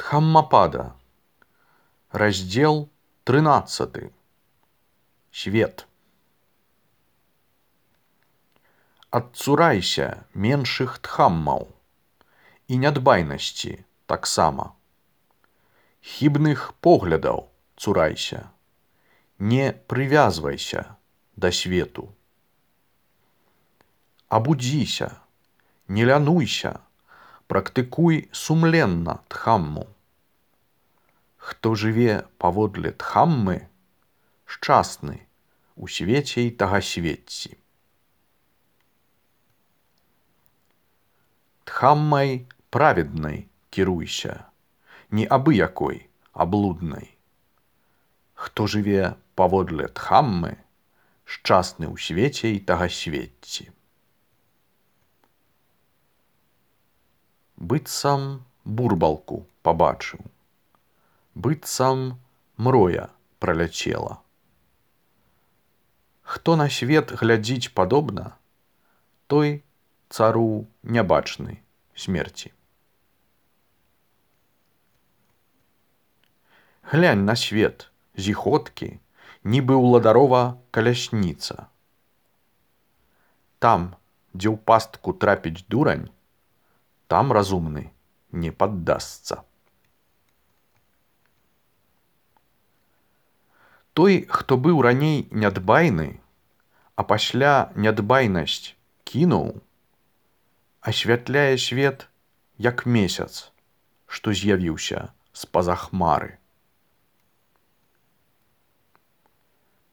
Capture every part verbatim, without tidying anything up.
Дхаммапада. Раздел тринадцатый. Свет. Адцурайся меншых дхаммаў і нядбайнасці таксама. Хібных поглядаў цурайся, не прывязвайся да свету. Абудзіся, не лянуйся, практыкуй сумленна дхамму. Хто жыве паводле дхаммы, шчасны у свеце і тагасветці. Дхаммай праведнай кіруйся, не абы-якой, а блуднай. Хто жыве паводле дхаммы, шчасны ў свеце і тагасветці. Быццам бурбалку пабачыў, быццам мроя праляцела. Хто на свет глядзіць падобна, той цару нябачны смерці. Глянь на свет, зіхоткі, нібы ўладарова калясніца. Там, дзе ў пастку трапіць дурань, там разумны не паддасца. Той, хто быў раней нядбайны, а пасля нядбайнасць кінуў, асвятляе свет, як месяц, што з'явіўся з-па-за хмары.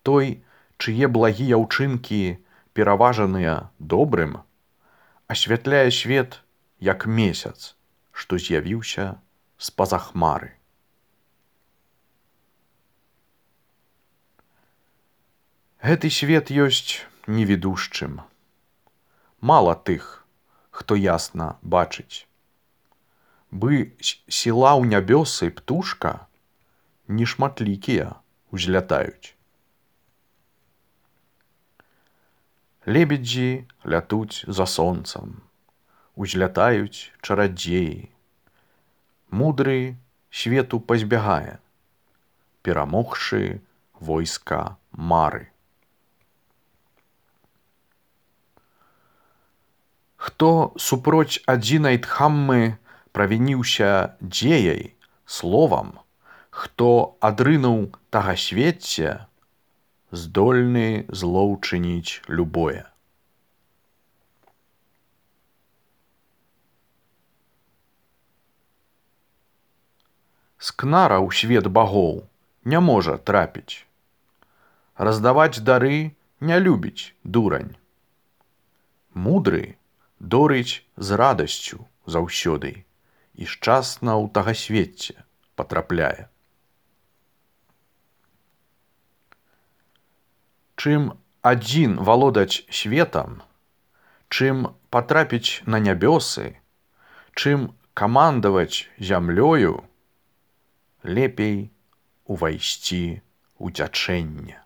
Той, чые благія ўчынкі пераважаныя добрым, асвятляе свет, як месяц, што з'явіўся з-па-за хмары. Гэты свет ёсць невідушчым. Мала тых, хто ясна бачыць. Бы сіла ў нябёсы птушка, нешматлікія узлятаюць. Лебедзі лятуць за сонцам, узлятаюць чарадзеі. Мудры свету пазбягае, перамогшы войска мары. Хто супроць адзінай дхаммы правініўся дзеяй, словам, хто адрынуў тагасвецце, здольны зло ўчыніць любое. Скнара ў свет багоў не можа трапіць. Раздаваць дары не любіць дурань. Мудры дорыць з радасцю заўсёды і шчасна ў тагасвецце патрапляе. Чым адзін валодаць светам, чым патрапіць на нябёсы, чым камандаваць зямлёю, лепей увайсці ў цячэнне.